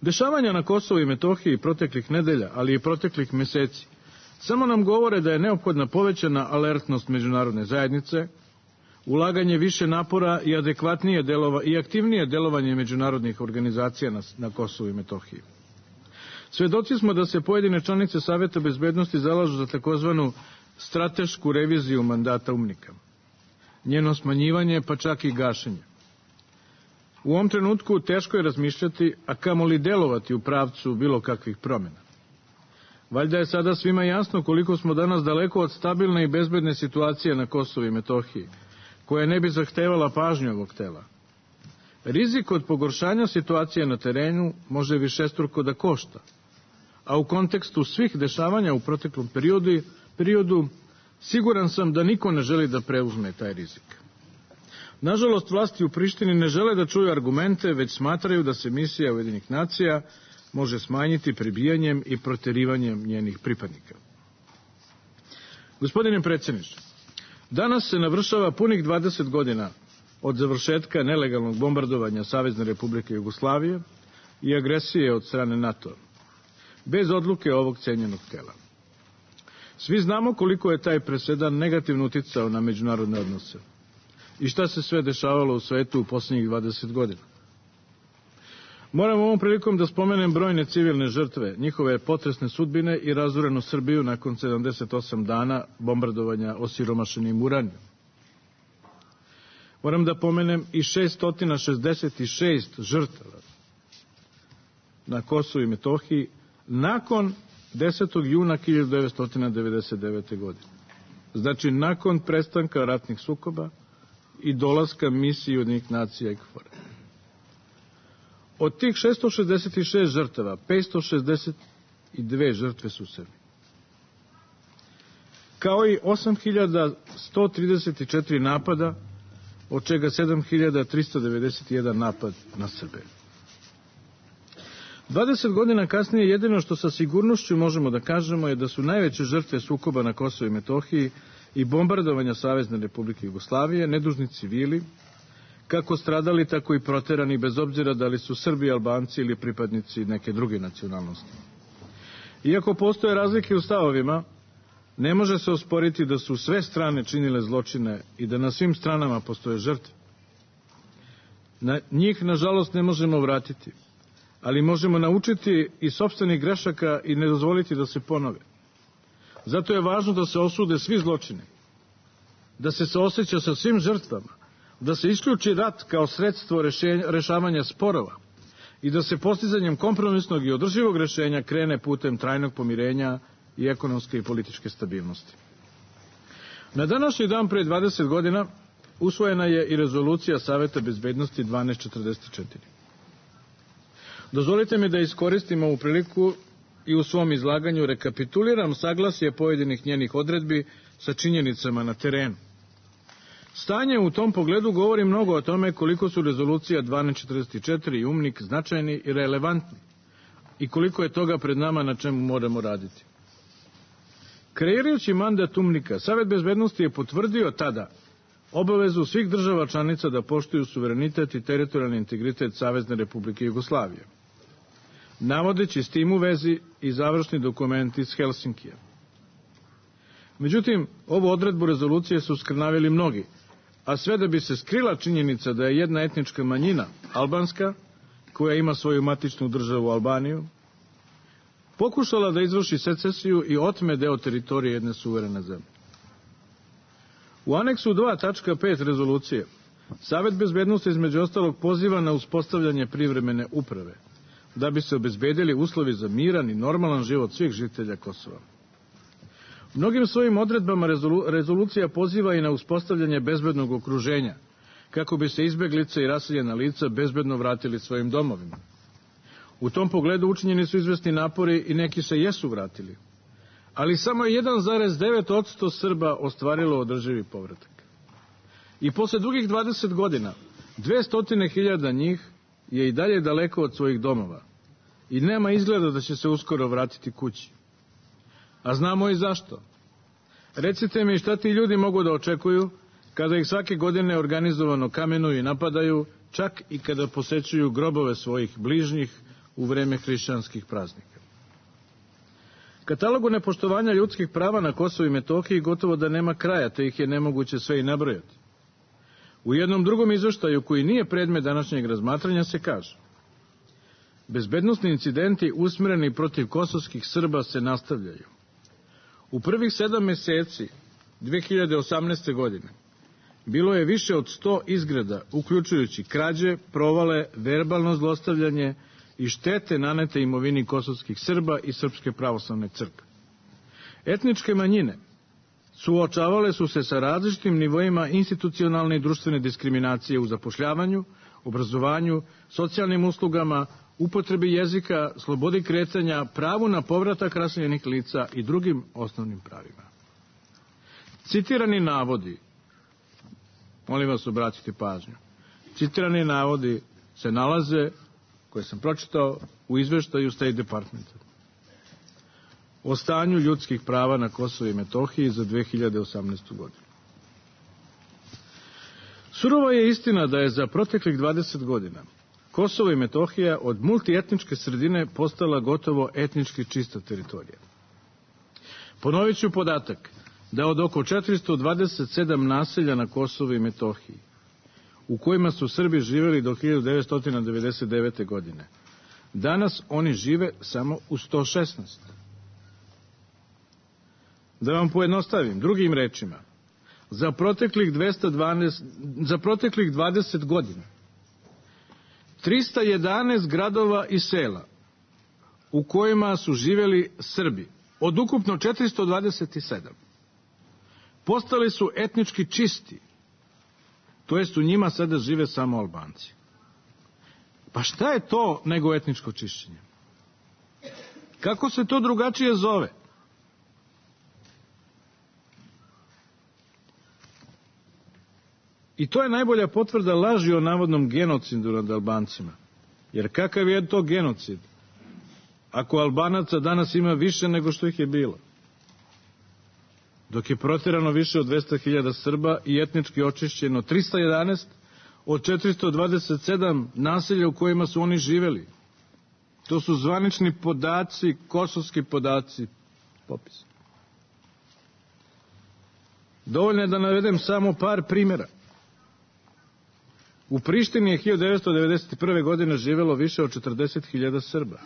Dešavanja na Kosovu i Metohiji proteklih nedelja, ali i proteklih meseci, samo nam govore da je neophodna povećana alertnost međunarodne zajednice, ulaganje više napora i adekvatnije delova i aktivnije delovanje međunarodnih organizacija na, na Kosovu i Metohiji. Svedoci smo da se pojedine članice Saveta bezbednosti zalažu za takozvanu stratešku reviziju mandata UMNIK-a, njeno smanjivanje pa čak i gašenje. U ovom trenutku teško je razmišljati, a kamoli delovati u pravcu bilo kakvih promjena. Valjda je sada svima jasno koliko smo danas daleko od stabilne i bezbedne situacije na Kosovu i Metohiji, koja ne bi zahtevala pažnju ovog tela. Rizik od pogoršanja situacije na terenu može višestruko da košta, a u kontekstu svih dešavanja u proteklom periodu, periodu siguran sam da niko ne želi da preuzme taj rizik. Nažalost, vlasti u Prištini ne žele da čuju argumente, već smatraju da se misija Ujedinjenih nacija može smanjiti prebijanjem i proterivanjem njenih pripadnika. Gospodine predsjedniče, danas se navršava punih dvadeset godina od završetka nelegalnog bombardovanja Savezne Republike Jugoslavije i agresije od strane NATO, bez odluke ovog cenjenog tela. Svi znamo koliko je taj presedan negativno uticao na međunarodne odnose i šta se sve dešavalo u svetu u posljednjih dvadeset godina. Moram ovom prilikom da spomenem brojne civilne žrtve, njihove potresne sudbine i razorenu Srbiju nakon sedamdeset osam dana bombardovanja osiromašenim uranijom. Moram da pomenem i šessto šezdeset šest žrtava na Kosovu i Metohiji nakon desetog juna hiljadu devetsto devedeset devete. godine. Znači, nakon prestanka ratnih sukoba i dolaska misije Ujedinjenih nacija i KFOR-a. Od tih šessto šezdeset šest žrtava, petsto šezdeset dve žrtve su Srbi. Kao i osam hiljada sto trideset četiri napada, od čega sedam hiljada tristo devedeset jedan napad na Srbe. dvadeset godina kasnije jedino što sa sigurnošću možemo da kažemo je da su najveće žrtve sukoba na Kosovu i Metohiji i bombardovanja Savezne Republike Jugoslavije nedužni civili, kako stradali, tako i proterani, bez obzira da li su Srbi, Albanci ili pripadnici neke druge nacionalnosti. Iako postoje razlike u stavovima, ne može se osporiti da su sve strane činile zločine i da na svim stranama postoje žrtve. Na njih, nažalost, ne možemo vratiti, ali možemo naučiti i sopstvenih grešaka i ne dozvoliti da se ponove. Zato je važno da se osude svi zločini, da se saoseća sa svim žrtvama, da se isključi rat kao sredstvo rešenja, rešavanja sporova i da se postizanjem kompromisnog i održivog rešenja krene putem trajnog pomirenja i ekonomske i političke stabilnosti. Na današnji dan pre dvadeset godina usvojena je i rezolucija Saveta bezbednosti dvanaest četrdeset četiri. Dozvolite mi da iskoristim ovu priliku i u svom izlaganju rekapituliram saglasje pojedinih njenih odredbi sa činjenicama na terenu. Stanje u tom pogledu govori mnogo o tome koliko su rezolucija dvanaest četrdeset četiri i UMNIK značajni i relevantni i koliko je toga pred nama na čemu moramo raditi. Kreirajući mandat UMNIK-a, Savet bezbednosti je potvrdio tada obavezu svih država članica da poštuju suverenitet i teritorijalni integritet Savezne Republike Jugoslavije, navodeći s tim u vezi i završni dokument iz Helsinkija. Međutim, ovu odredbu rezolucije su skrnavili mnogi, a sve da bi se skrila činjenica da je jedna etnička manjina, albanska, koja ima svoju matičnu državu Albaniju, pokušala da izvrši secesiju i otme deo teritorije jedne suverene zemlje. U aneksu dva tačka pet rezolucije Savet bezbednosti između ostalog poziva na uspostavljanje privremene uprave, da bi se obezbedili uslovi za miran i normalan život svih žitelja Kosova. U mnogim svojim odredbama rezolu, rezolucija poziva i na uspostavljanje bezbednog okruženja, kako bi se izbeglice i raseljena lica bezbedno vratili svojim domovima. U tom pogledu učinjeni su izvesni napori i neki se jesu vratili, ali samo jedan zarez devet posto Srba ostvarilo održivi povratak. I posle dugih dvadeset godina, dvesta hiljada njih je i dalje daleko od svojih domova i nema izgleda da će se uskoro vratiti kući. A znamo i zašto. Recite mi šta ti ljudi mogu da očekuju kada ih svake godine organizovano kamenuju i napadaju, čak i kada posećuju grobove svojih bližnjih u vreme hrišćanskih praznika. Katalogu nepoštovanja ljudskih prava na Kosovu i Metohiji gotovo da nema kraja, te ih je nemoguće sve i nabrojati. U jednom drugom izveštaju, koji nije predmet današnjeg razmatranja, se kaže: bezbednosni incidenti usmereni protiv kosovskih Srba se nastavljaju. U prvih sedam meseci dve hiljade osamnaeste. godine bilo je više od sto izgreda, uključujući krađe, provale, verbalno zlostavljanje i štete nanete imovini kosovskih Srba i Srpske pravoslavne crkve. Etničke manjine suočavale su se sa različitim nivoima institucionalne i društvene diskriminacije u zapošljavanju, obrazovanju, socijalnim uslugama, upotrebi jezika, slobodi kretanja, pravu na povratak raseljenih lica i drugim osnovnim pravima. Citirani navodi, molim vas obratite pažnju, citirani navodi se nalaze, koje sam pročitao, u izveštaju State Departmenta o stanju ljudskih prava na Kosovu i Metohiji za dve hiljade osamnaestu. godinu. Surova je istina da je za proteklih dvadeset godina Kosovo i Metohija od multietničke sredine postala gotovo etnički čista teritorija. Ponovit ću podatak da od oko četiristo dvadeset sedam naselja na Kosovu i Metohiji, u kojima su Srbi živeli do hiljadu devetsto devedeset devete. godine, danas oni žive samo u sto šesnaest. Da vam pojednostavim, drugim rečima, za proteklih, dvesta dvanaest, za proteklih dvadeset godina trista jedanaest gradova i sela u kojima su živeli Srbi, od ukupno četiristo dvadeset sedam, postali su etnički čisti, to jest u njima sada žive samo Albanci. Pa šta je to nego etničko čišćenje? Kako se to drugačije zove? I to je najbolja potvrda laži o navodnom genocidu nad Albancima. Jer kakav je to genocid ako Albanaca danas ima više nego što ih je bilo? Dok je proterano više od dvesta hiljada Srba i etnički očišćeno trista jedanaest od četiristo dvadeset sedam naselja u kojima su oni živeli. To su zvanični podaci, kosovski podaci, popis. Dovoljno je da navedem samo par primjera. U Prištini je hiljadu devetsto devedeset prve. godine živelo više od četrdeset hiljada Srba.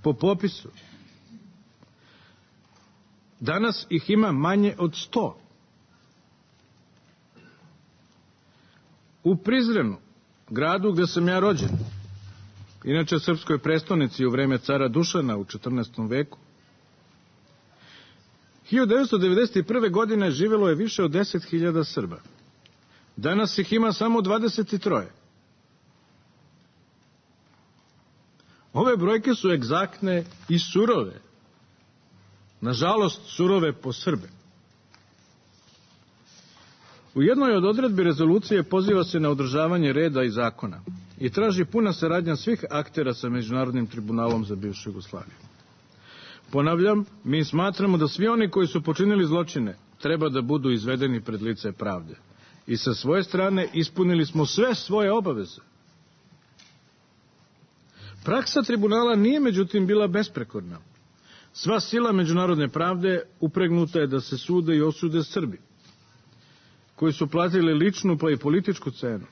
Po popisu. Danas ih ima manje od sto. U Prizrenu, gradu gde sam ja rođen, inače srpskoj prestonici u vreme cara Dušana u četrnaestom. veku, hiljadu devetsto devedeset prve. godine živelo je više od deset hiljada Srba. Danas ih ima samo dvadeset tri. Ove brojke su egzaktne i surove. Nažalost, surove po Srbe. U jednoj od odredbi rezolucije poziva se na održavanje reda i zakona i traži puna saradnja svih aktera sa Međunarodnim tribunalom za bivšu Jugoslaviju. Ponavljam, mi smatramo da svi oni koji su počinili zločine treba da budu izvedeni pred lice pravde. I sa svoje strane ispunili smo sve svoje obaveze. Praksa tribunala nije međutim bila besprekorna. Sva sila međunarodne pravde upregnuta je da se sude i osude Srbi, koji su platili ličnu pa i političku cenu.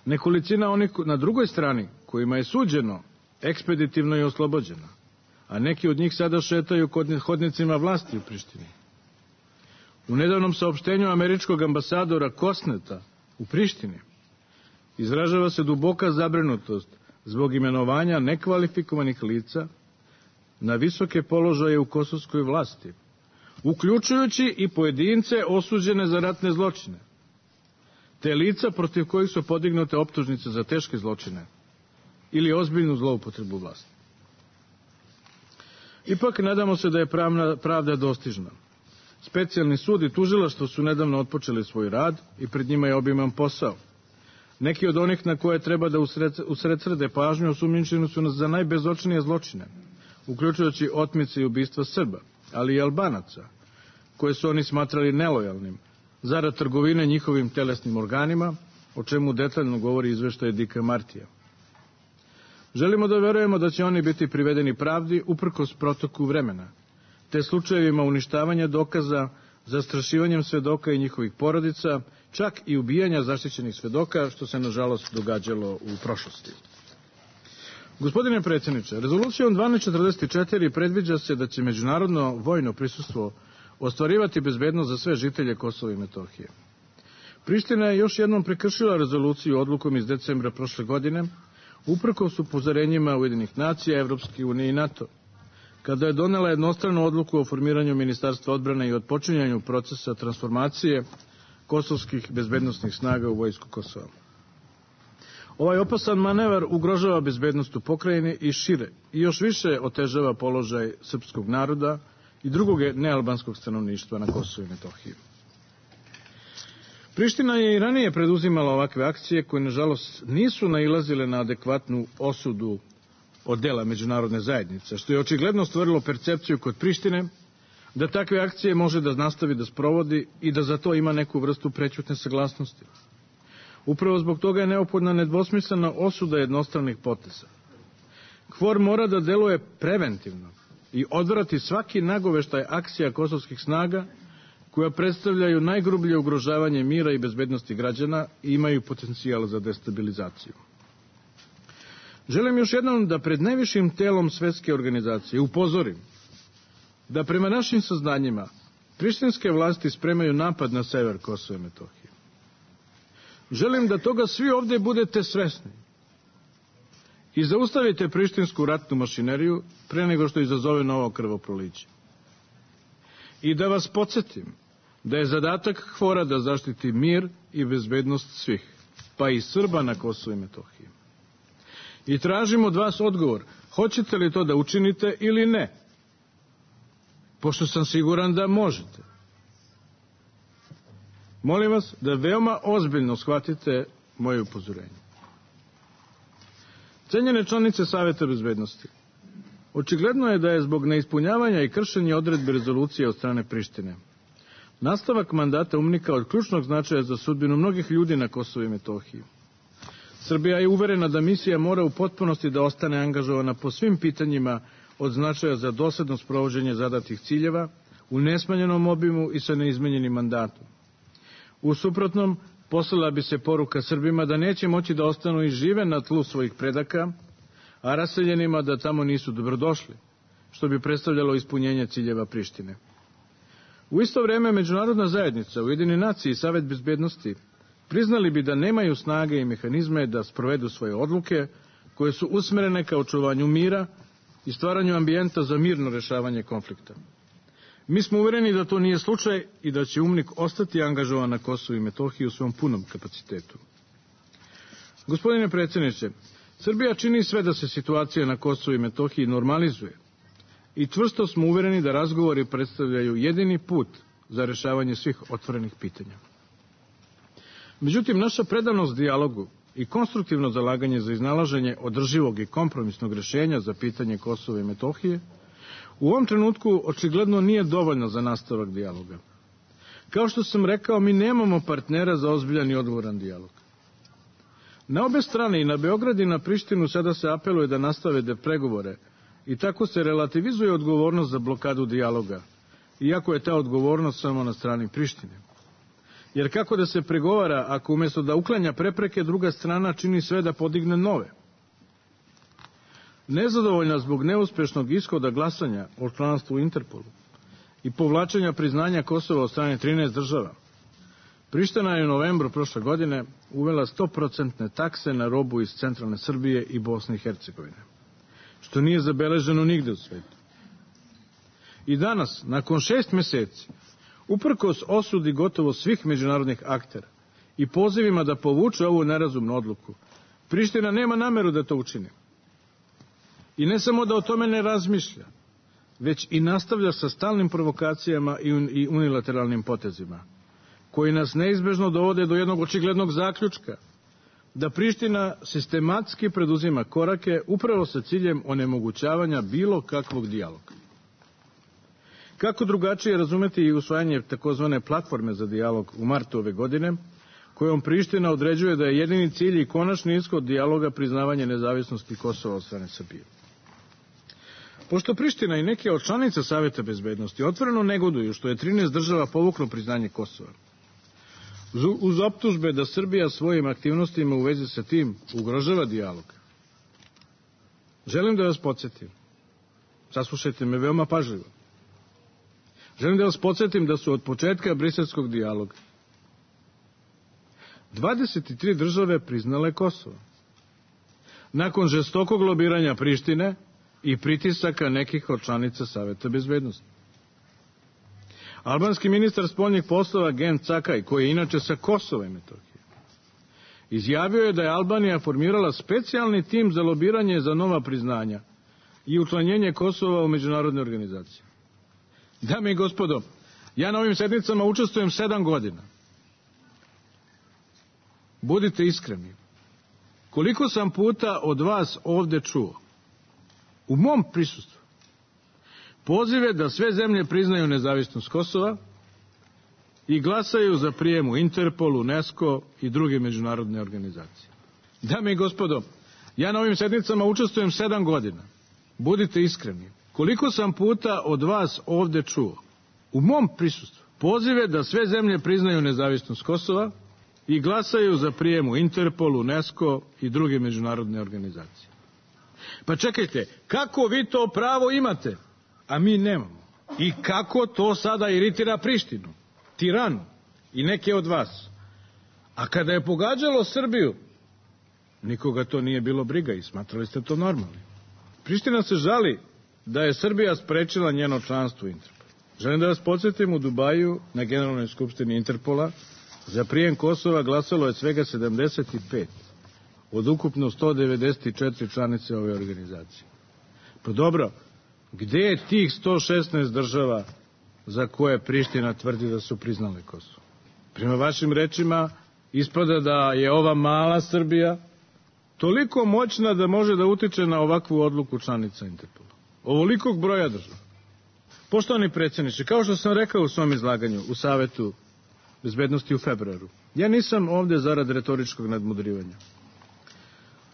Nekolicina onih na drugoj strani, kojima je suđeno, ekspeditivno je oslobođena. a neki od njih sada šetaju kod hodnicima vlasti u Prištini. U nedavnom saopštenju američkog ambasadora Kosneta u Prištini izražava se duboka zabrinutost zbog imenovanja nekvalifikovanih lica na visoke položaje u kosovskoj vlasti, uključujući i pojedince osuđene za ratne zločine, te lica protiv kojih su podignute optužnice za teške zločine ili ozbiljnu zloupotrebu vlasti. Ipak nadamo se da je pravna, pravda dostižna. Specijalni sud i tužilaštvo su nedavno otpočeli svoj rad i pred njima je obiman posao. Neki od onih na koje treba da usredsrede pažnju osumnjičeni su nas za najbezočnije zločine, uključujući otmice i ubistva Srba, ali i Albanaca, koje su oni smatrali nelojalnim, zarad trgovine njihovim telesnim organima, o čemu detaljno govori izveštaj Dika Martija. Želimo da verujemo da će oni biti privedeni pravdi uprkos protoku vremena, te slučajevima uništavanja dokaza, zastrašivanjem svedoka i njihovih porodica, čak i ubijanja zaštićenih svedoka, što se nažalost događalo u prošlosti. Gospodine predsjedniče, rezolucijom dvanaest četrdeset četiri predviđa se da će međunarodno vojno prisustvo ostvarivati bezbednost za sve žitelje Kosova i Metohije. Priština je još jednom prekršila rezoluciju odlukom iz decembra prošle godine, uprkos upozorenjima Ujedinjenih nacija, Evropske unije i NATO, kada je donela jednostranu odluku o formiranju Ministarstva odbrane i otpočinjanju procesa transformacije kosovskih bezbednosnih snaga u vojsku Kosova. Ovaj opasan manevar ugrožava bezbednost u pokrajini i šire i još više otežava položaj srpskog naroda i drugog nealbanskog stanovništva na Kosovu i Metohiji. Priština je i ranije preduzimala ovakve akcije koje, nažalost, nisu nailazile na adekvatnu osudu od dela međunarodne zajednice, što je očigledno stvorilo percepciju kod Prištine da takve akcije može da nastavi da sprovodi i da za to ima neku vrstu prećutne saglasnosti. Upravo zbog toga je neophodna nedvosmislena osuda jednostranih poteza. KFOR mora da deluje preventivno i odvrati svaki nagoveštaj akcija kosovskih snaga koja predstavljaju najgrublje ugrožavanje mira i bezbednosti građana i imaju potencijal za destabilizaciju. Želim još jednom da pred najvišim telom svetske organizacije upozorim da prema našim saznanjima prištinske vlasti spremaju napad na sever Kosova i Metohije. Želim da toga svi ovdje budete svesni i zaustavite prištinsku ratnu mašineriju pre nego što izazove novo krvoproliće. I da vas podsjetim da je zadatak KFOR-a da zaštiti mir i bezbednost svih, pa i Srba na Kosovu i Metohiji. I tražim od vas odgovor, hoćete li to da učinite ili ne, pošto sam siguran da možete. Molim vas da veoma ozbiljno shvatite moje upozorenje. Cenjene članice Saveta bezbednosti, očigledno je da je zbog neispunjavanja i kršenja odredbe rezolucije od strane Prištine nastavak mandata UMNIK-a od ključnog značaja za sudbinu mnogih ljudi na Kosovu i Metohiji. Srbija je uverena da misija mora u potpunosti da ostane angažovana po svim pitanjima od značaja za dosledno sprovođenje zadatih ciljeva, u nesmanjenom obimu i sa neizmenjenim mandatom. U suprotnom, poslala bi se poruka Srbima da neće moći da ostanu i žive na tlu svojih predaka, a raseljenima da tamo nisu dobrodošli, što bi predstavljalo ispunjenje ciljeva Prištine. U isto vreme, međunarodna zajednica, Ujedinjene nacije i Savet bezbednosti priznali bi da nemaju snage i mehanizme da sprovedu svoje odluke koje su usmerene ka očuvanju mira i stvaranju ambijenta za mirno rešavanje konflikta. Mi smo uvereni da to nije slučaj i da će UMNIK ostati angažovan na Kosovu i Metohiji u svom punom kapacitetu. Gospodine predsjedniče, Srbija čini sve da se situacija na Kosovu i Metohiji normalizuje i čvrsto smo uvereni da razgovori predstavljaju jedini put za rešavanje svih otvorenih pitanja. Međutim, naša predanost dijalogu i konstruktivno zalaganje za iznalaženje održivog i kompromisnog rešenja za pitanje Kosova i Metohije u ovom trenutku očigledno nije dovoljno za nastavak dijaloga. Kao što sam rekao, mi nemamo partnera za ozbiljan i odgovoran dijalog. Na obe strane, i na Beograd i na Prištinu, sada se apeluje da nastave da pregovore i tako se relativizuje odgovornost za blokadu dijaloga, iako je ta odgovornost samo na strani Prištine. Jer kako da se pregovara ako umjesto da uklanja prepreke, druga strana čini sve da podigne nove? Nezadovoljna zbog neuspešnog ishoda glasanja o članstvu u Interpolu i povlačenja priznanja Kosova od strane trinaest država, Priština je u novembru prošle godine uvela sto procentne takse na robu iz centralne Srbije i Bosne i Hercegovine, što nije zabeleženo nigde u svetu. I danas, nakon šest meseci, uprkos osudi gotovo svih međunarodnih aktera i pozivima da povuče ovu nerazumnu odluku, Priština nema nameru da to učini. I ne samo da o tome ne razmišlja, već i nastavlja sa stalnim provokacijama i unilateralnim potezima, koji nas neizbežno dovode do jednog očiglednog zaključka, da Priština sistematski preduzima korake upravo sa ciljem onemogućavanja bilo kakvog dijaloga. Kako drugačije razumeti i usvajanje takozvane platforme za dijalog u martu ove godine, kojom Priština određuje da je jedini cilj i konačni ishod dijaloga priznavanje nezavisnosti Kosova od strane Srbije. Pošto Priština i neke od članica Saveta bezbednosti otvoreno negoduju što je trinaest država povuklo priznanje Kosova, uz optužbe da Srbija svojim aktivnostima u vezi sa tim ugrožava dijalog, želim da vas podsjetim, saslušajte me veoma pažljivo, želim da vas podsjetim da su od početka briselskog dijaloga dvadeset tri države priznale Kosovo, nakon žestokog lobiranja Prištine i pritisaka nekih od članica Saveta bezbednosti. Albanski ministar spoljnih poslova Gen Cakaj, koji je inače sa Kosova i Metohije, izjavio je da je Albanija formirala specijalni tim za lobiranje za nova priznanja i učlanjenje Kosova u međunarodne organizacije. Dame i gospodo, ja na ovim sednicama učestvujem sedam godina. Budite iskreni. Koliko sam puta od vas ovde čuo, u mom prisustvu, pozive da sve zemlje priznaju nezavisnost Kosova i glasaju za prijem u Interpol, UNESCO i druge međunarodne organizacije. Dame i gospodo, ja na ovim sednicama učestvujem sedam godina. Budite iskreni. Koliko sam puta od vas ovde čuo, u mom prisustvu, pozive da sve zemlje priznaju nezavisnost Kosova i glasaju za prijem u Interpol, UNESCO i druge međunarodne organizacije. Pa čekajte, kako vi to pravo imate, a mi nemamo? I kako to sada iritira Prištinu, Tiranu i neke od vas? A kada je pogađalo Srbiju, nikoga to nije bilo briga i smatrali ste to normalnim. Priština se žali da je Srbija sprečila njeno članstvo u Interpolu. Želim da vas podsjetim, u Dubaju na Generalnoj skupštini Interpola za prijem Kosova glasalo je svega sedamdeset pet od ukupno sto devedeset četiri članice ove organizacije. Pa dobro, gde je tih sto šesnaest država za koje Priština tvrdi da su priznale Kosovo? Prema vašim rečima, ispada da je ova mala Srbija toliko moćna da može da utiče na ovakvu odluku članica Interpola. Ovolikog broja država. Poštovani predsjedniče, kao što sam rekao u svom izlaganju u Savetu bezbednosti u februaru, ja nisam ovde zarad retoričkog nadmudrivanja.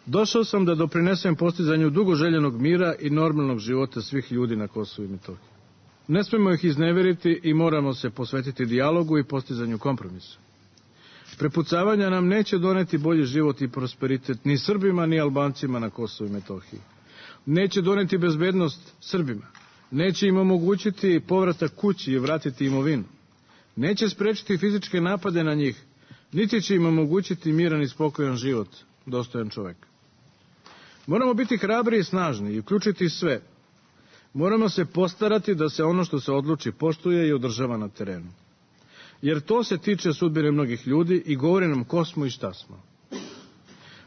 Došao sam da doprinesem postizanju dugo željenog mira i normalnog života svih ljudi na Kosovu i Metohiji. Ne smemo ih izneveriti i moramo se posvetiti dijalogu i postizanju kompromisa. Prepucavanja nam neće doneti bolji život i prosperitet ni Srbima ni Albancima na Kosovu i Metohiji. Neće doneti bezbednost Srbima. Neće im omogućiti povratak kući i vratiti imovinu. Neće sprečiti fizičke napade na njih, niti će im omogućiti miran i spokojan život, dostojan čoveka. Moramo biti hrabri i snažni i uključiti sve. Moramo se postarati da se ono što se odluči poštuje i održava na terenu. Jer to se tiče sudbine mnogih ljudi i govori nam ko smo i šta smo.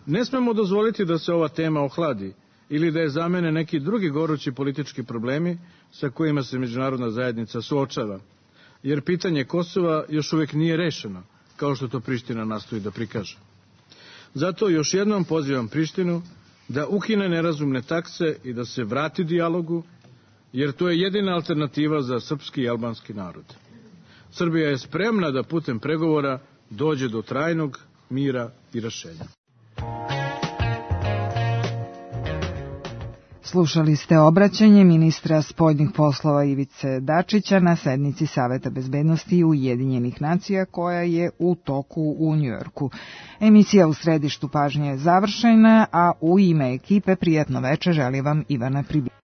Ne smemo dozvoliti da se ova tema ohladi ili da je zamene neki drugi gorući politički problemi sa kojima se međunarodna zajednica suočava, jer pitanje Kosova još uvek nije rešeno, kao što to Priština nastoji da prikaže. Zato još jednom pozivam Prištinu da ukine nerazumne takse i da se vrati dijalogu, jer to je jedina alternativa za srpski i albanski narod. Srbija je spremna da putem pregovora dođe do trajnog mira i rešenja. Slušali ste obraćanje ministra spoljnih poslova Ivice Dačića na sednici Saveta bezbednosti Ujedinjenih nacija koja je u toku u Njujorku. Emisija u središtu pažnje je završena, a u ime ekipe prijatno veče želi vam Ivana Pribić.